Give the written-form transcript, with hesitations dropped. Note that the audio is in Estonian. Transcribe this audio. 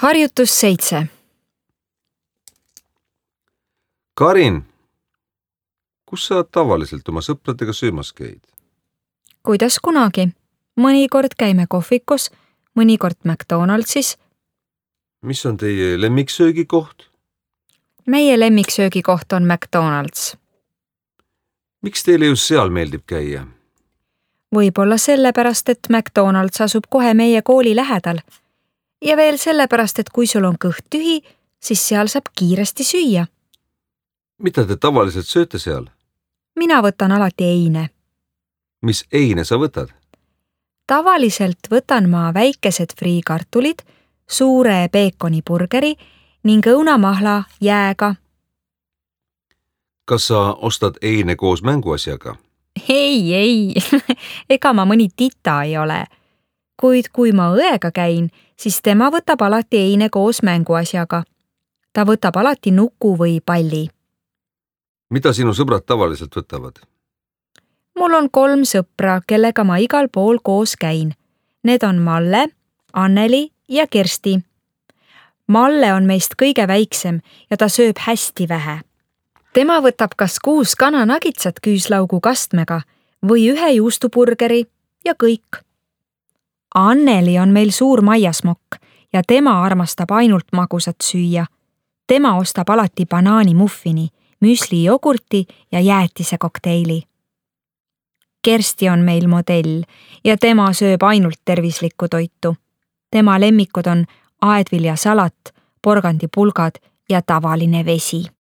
Harjutus 7. Karin, kus sa tavaliselt oma sõpradega söömas käid? Kuidas kunagi? Mõnikord käime kohvikus, mõnikord McDonaldsis. Mis on teie lemmiksöögikoht? Meie lemmiksöögikoht on McDonald's. Miks teile just seal meeldib käia? Võib-olla sellepärast, et McDonald's asub kohe meie kooli lähedal. Ja veel sellepärast, et kui sul on kõht tühi, siis seal saab kiiresti süüa. Mida te tavaliselt sööte seal? Mina võtan alati eine. Mis eine sa võtad? Tavaliselt võtan ma väikesed friikartulid, suure peekoniburgeri ning õunamahla jääga. Kas sa ostad eine koos mänguasjaga? Ei, ega ma mõni tita ei ole. Kuid kui ma õega käin, siis tema võtab alati eine koos mänguasjaga. Ta võtab alati nuku või palli. Mida sinu sõbrad tavaliselt võtavad? Mul on 3 sõpra, kellega ma igal pool koos käin. Need on Malle, Anneli ja Kersti. Malle on meist kõige väiksem ja ta sööb hästi vähe. Tema võtab kas 6 kananagitsat küüslaugu kastmega või 1 juustuburgeri ja kõik. Anneli on meil suur maiasmokk ja tema armastab ainult magusat süüa. Tema ostab alati banaanimuffini, müslijogurti ja jäätise kokteili. Kersti on meil modell ja tema sööb ainult tervislikku toitu. Tema lemmikud on aedviljasalat, porgandipulgad ja tavaline vesi.